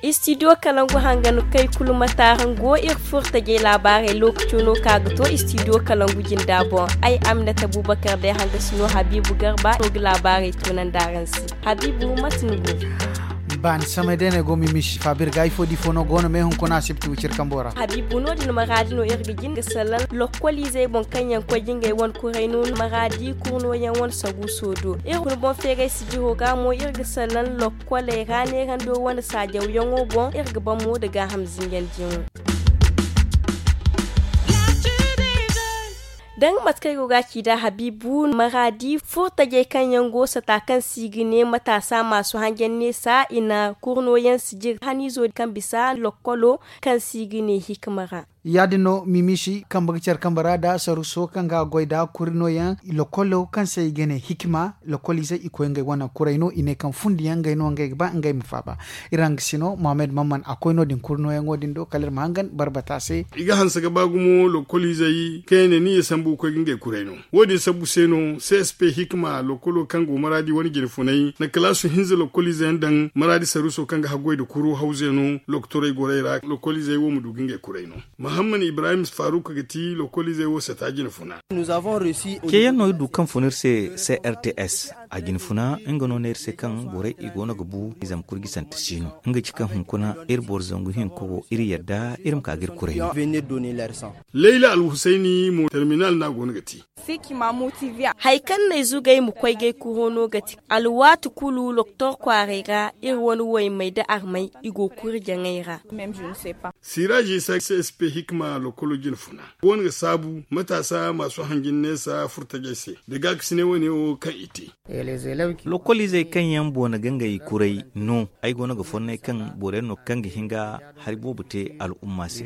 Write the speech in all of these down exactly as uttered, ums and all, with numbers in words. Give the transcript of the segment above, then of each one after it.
Istidiyo kalangu hangan kay kulu mata hango iri furtajey laabaarey lookaco no ka ga to istidiyo kalangu jinda boŋ. Ay aminata bubakar day hanga sino habiibu garba no ga laabaarey tunandi araŋ se. Habiibu mate ni go? Baani samay day no ay go mimisi faabir ga ifo da ifo no go no me hunkuna asibti wicir kambo ra. Habiibu no- din maraadi no iri ga jin ga salaŋ lokkoliizey boŋ kaŋ yaŋ koy ga ngey wane kuray no maraadi kurno yaŋ wane saguuso do. Iri kuna boŋ feeray sijiro ga mo iri ga salaŋ lokkoley ra neerando wane saajawyaŋo boŋ iri ga ban mo nda gaaham zinjandiyaŋo. Da nga mate kaŋ ay go ga a ci nd'a habiibu maraadi furtajey kaŋ yaŋ go sata kaŋ se i ga ne mataasa maasu hanjanneesa i na kurno yaŋ sijir haniizo kaŋ bisa lokkolo kaŋ se i ga ne hikima ra. Ya- din no mimisi kambe ga care kambe ra nda saruso kaŋ ga goy nda kuri nooyaŋ lokkolo kaŋ se i ga ne hikima. Lokkoliizey i koy ngey wane kuray no i ne kaŋ fundi yaŋ ngey no ngey ga ba ngey ma faaba. Iri hanga sino mohammed mamman a koy no- din kuri nooyaŋo din do kala iri ma hangan barbata se. I ga hanse ga ba gumo lokkoliizey kaŋ yaŋ ne ni ye sambu ga koy ga ngey kuray no. Wo- din sabbu se no csp hikima lokkolo kaŋ go maraadi wane jine funay na kalaasu hinza lokkoliizey yaŋ daŋ maraadi saruso kaŋ ga haggoy nda kuru hawze no lokotorey gorey ra lokkoliizey wo ma du ga ngey kuray no. Muhammad ibrahim faruk ga ti lokkoliizey wo sata jine funa. Ceeyaŋ no iri du kaŋ fun iri se crts a jine funa nga no ne iri se kaŋ borey i go no ga bu i zama kurgisante si no nga ci kaŋ hunkuna iri boro zangu hinka wo iri yadda iri ma ka ga iri kuray no. Layla alhusayni mo terminal no a go no ga te. Hari kaŋ no ay zugay ma koy gay kuro no ga ti alwaati kulu lokotor kwaaray ra iri wane waymey nda armey i go kuri jaŋay ra. Siraaji isa csp hikima lokolo jine funa go no ga saabu mataasa maasu hanjin neesa furtajey se da gaakasinay wane wo kaŋ i te. Lokoliizey kaŋ yaŋ boona ga ngey kuray no ay go no ga fonnay kaŋ boro yaŋ no kaŋ ga hin ga hari boobo te al'umma se.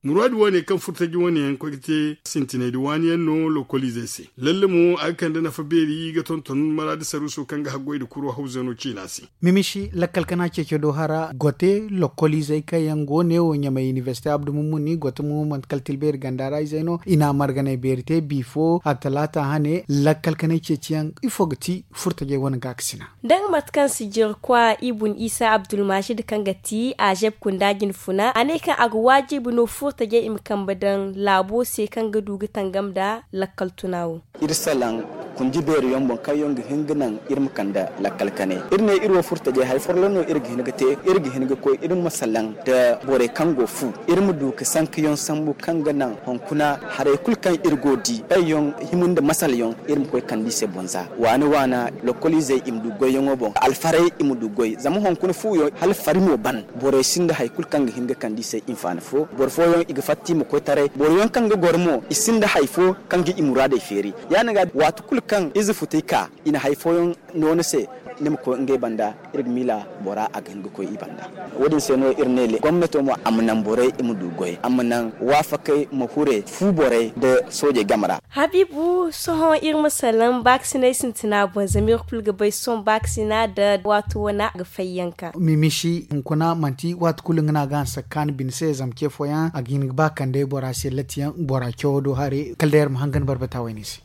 Muraadu wane kaŋ furtaji wane yaŋ koy ga te sintinay da waani yaŋ no lokoliizey se lalle mo a ga kande nafa beeri ga tonton maraadi saruuso kaŋ ga haggoy nda kuro hawzano ciina se. Mimishi lakkal kana ceeco do hara gote lokoliizey kaŋ yaŋ go ne wo ɲamay inibersite abdu mummuni gote mo manti kala tilbeeri ganda ra izey no i na a marganay beeri te bifo a talaata hane lakkal kanay ceeciyaŋ ifo ga ti furtajey wane gaakasina. Da nga mate kaŋ sijirkwa ibun isa abdulmajid kaŋ ga ti a zeb kunda jine funa a ne kaŋ a ga waajibi no furtajey i ma kambe daŋ laabo se kaŋ ga du ga tangam nda lakkal tuna wo. Iri salaŋ kundi beeri yaŋ boŋ kaŋ yaŋ ga hin ga naŋ iri ma kande lakkal kanay iri ne iri wo furtajey hari forlo no iri ga hin ga te iri ga hin ga koy iri ma salaŋ nda borey kaŋ go fu iri ma du ga sanka yaŋ sambu kaŋ ga naŋ hunkuna haray kulu kaŋ iri go di bay yaŋ hima nda masala yaŋ iri ma koy kande i se boŋ za waana waana lokoliizey i ma du goyyaŋo boŋ alfarey i ma du goy zama hunkuna fu yaŋ hala fari mo ban borey sinda hari kulu kaŋ ga hin ga kande i se hinfaani fo boro fooyaŋ i ga fatta i ma koy taray boro yaŋ kaŋ ga goro mo i sinda hari fo kaŋ ga i muraadey feeri ya- din ga waati kulu kaŋ ize futay ka i na hari fooyaŋ no ni se ni ma koy ngey banda iri ga miila bora a ga hin ga koy i banda. Wo- din se no iri ne le gomnato mo a ma naŋ borey i ma du goy a ma naŋ waafakey ma hure fu borey nda soojey game ra. Habiibu sohõ iri ma salaŋ baakasinay sintina boŋ zama iri kulu ga bay sohõ baakasina nda waato wane a ga fayyanka. Mimishi hunkuna manti waati kulu nga no a ga hanse ga kaanu bine se zama ce fooyaŋ a ga hin ga ba kande bora se latiyaŋ bora cawo do haray kala day iri ma hangan barbata wayne se.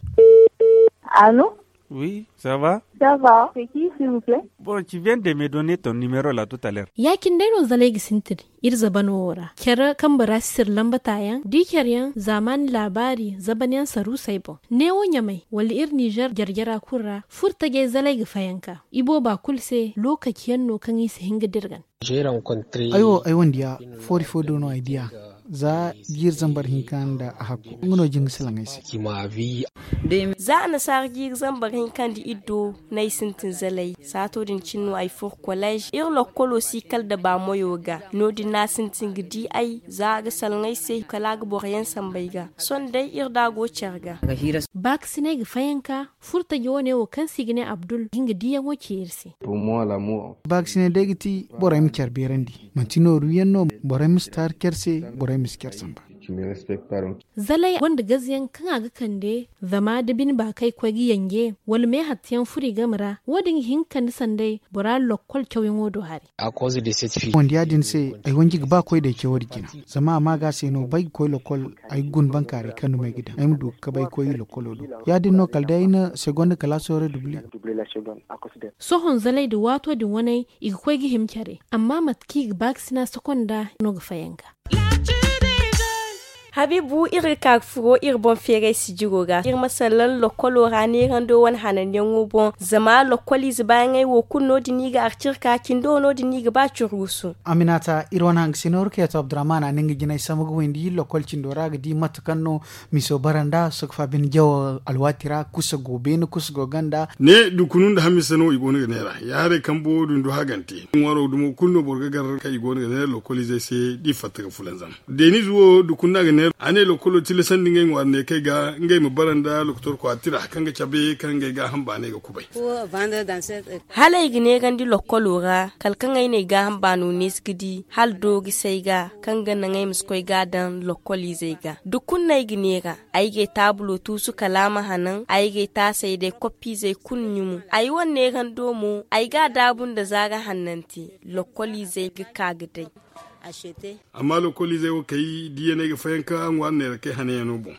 Allo. Oui, ça va? Ça va. C'est qui, s'il vous plaît? Bon, tu viens de me donner ton numéro là tout à l'heure. Ya cine day no zalay ga sintin iri zabano wo ra care kambe ra sisir lambata yaŋ da i care yaŋ zaamaani laabaari zaban yaŋ saruusey boŋ. Neewo ɲamay wala iri nizer jarjara kulu ra furtajey zalay ga fayanka i booba kulu se lookaci yaŋ no kaŋ i si hin ga dirgan. Ay wo ay wane diya foori fo do no ay diya za jiiri zambar hinka nda a hakku nga no jin ga salaŋ ay se. Za annasaara jiiri zambar hinka nda iddo no ay sintin zalay saato din cine no ay furo kolleez iri lokkolo si kala da baamoyo ga no- din no a sintin ga di ay za a ga salaŋ ay se kala a ga boro yaŋ sambu ay ga sohõ day iri da a go care ga. Baakasinay ga fayanka furtaji wane wo kaŋ se i ga ne abdul ga nga diyaŋo ce iri se. Baakasinay day ga ti borey ma care beerandi manti nooru yaŋ no borey ma si taari care se borey ma si care samba. Zalay gonda gaziyaŋ kaŋ a ga kande zama da bine ba kay koy ga yanje wala me hattiyaŋ furo i game ra, wo- din ga hin ga kande sanday bora lokkol cawyaŋo do hari. Wanda ya- din se ay wanji ga ba koy day cawo din jina. Zama a ma ga se no bay ga koy lokkol, ay ga guna bankaaray kaŋ duma ay ga daŋ ay ma du ga kabay koy lokkolo do. Ya- din no kala day ay na segonda kalaaso ra dubli. Sohõ zalay da waato din waney i ga koy ga hima care, amma mate kaŋ i ga ba ga sina sekonda no ga fayanka. Habiibu, iri ga ka ga furo iri boŋ feeray sijiro ga iri ma sallaŋ lokkolo ra neerando wane hananyaŋo boŋ. Zama lokkoliize baayaŋey wo kulu no- din i ga arcirka cindo no- din i ga ba curgusu. Aminata, iri wane hangasino iri kayto abdurrahman a na nga jinay sambu ga windi lokkol cindo ra ga di mate kaŋ no miso bara nda sokfa bine jawo alwaati ra kusa go beene kusa go ganda. Ne dukunu nda hamisa no i go no ga neera ya haray kambo dundu hagante ŋwaaro dumo kulu no boro ga gar kaŋ i go no ga neera lokkoliizey se da i fatta ga fulanzam. Deeniize wo dukunu no a ga neera a ne lokkolo tilasandi ngey ŋwaari ne kay ga ngey ma bara nda lokotor kwaati ra kaŋ ga cabe kaŋ ngey gaaham baanay ga kubay. Hala ay ga neerandi lokkolo ra kala kaŋ ay n'ay gaaham baano neesi ga di hala doori si ay ga kaŋ ga naŋ ay ma si koy ga a daŋ lokkoliizey ga dukunu no ay ga neera. Ay g'ay taabulo tuusu kala a ma hanan ay g'ay taasey day koppiizey kulu ɲumu. Ay wane neerando mo ay g'a daabu nda zaara hannanti lokkoliizey ga ka ga day. Amma lokkoliizey wo kay diyaney ga fayanka ŋwaari neera kay hananyaŋo boŋ.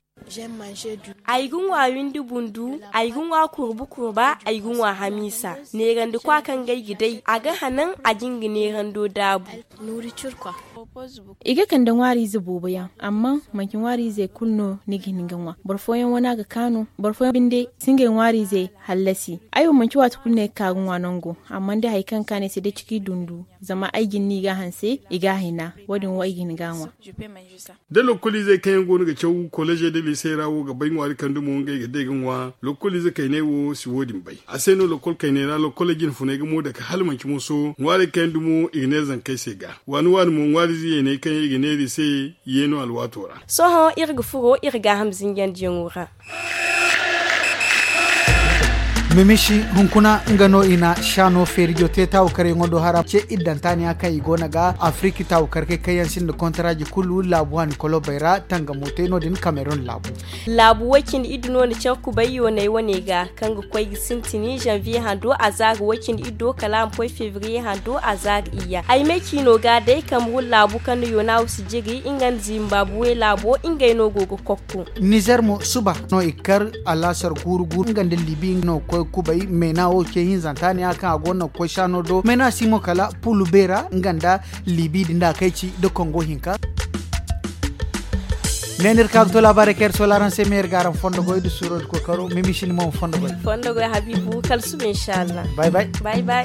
Ay ga ŋwa windi bundu, ay ga ŋwa kurba kurba, ay ga ŋwa hamiisa. Neerandikwa kaŋ ga ay ga day a ga hanan a ga nga neerando daabu. I ga kande ŋwaariize boobo yaŋ, amma manci ŋwaariizey kulu no ni ga hin ga ŋwa. Boro fooyaŋ wane a ga kaanu, boro fooyaŋ binde si ngey ŋwaariizey hallasi. Ay wo manci waati kulu no ay ga ka ga ŋwa nango, amma day hari kaŋ ga kaanu ay se day ciki dundu. Zama ay jin no i ga a hanse i ga a hina. Wo- din wo ay ga hin ga a ŋwa. Da lokkoliizey kaŋ yaŋ go no ga caw kolejey da liisey ra wo ga bay ŋwaari kaŋ dumo ngey ga day ga ŋwa lokkoliize kayney wo si wo- din bay. A se no lokkol kayney ra lokkoley jinfuney ga mo dake hala manci moso ŋwaarey kaŋ yaŋ dumo i ga neera zankey se ga waani waani mo ŋwaariize yeeney kaŋ yaŋ i ga neera i se. Yeeno alwaato ra. Sohõ iri ga furo iri gaaham zinjandiyaŋo ra. Mimishi hunkuna nga no i na shaano feerijo te taawukaryaŋo do hara ce iddantaaniya kaŋ i go no ga afiriki taawukarkey kaŋ yaŋ sinda kontaraaji kulu laabu waani kolobey ra tangamo te no- din kamerun laabu. Laabu way cindi iddu no na care kubay yoonay wane ga kaŋ ga koy ga sintini zanviye hando a za ga way cindi iddo kala a ma koy febriye hando a za ga iyya ay may ciino ga day kamerun laabu kaŋ na yoona wo si jiri nga nda zimbabwe laabo ngey no go ga kokko. Nizer mo suba no i kar alaasar guuru guuru nga nda libi no koy kubay meena wo ce hinzanta ne a kaŋ a go no ga koy saano do meena si mo kala pulu beera nga nda libi din da kay ci da kongo hinka. Ne ni iri ka ga to laabaarey kaŋ iri sola araŋ se me iri ga araŋ fondo goy da suuro da kookaro mimisin mo fondo goy. Fondo goy habiibu kala suba inshallah. Bay bay. Bay bay.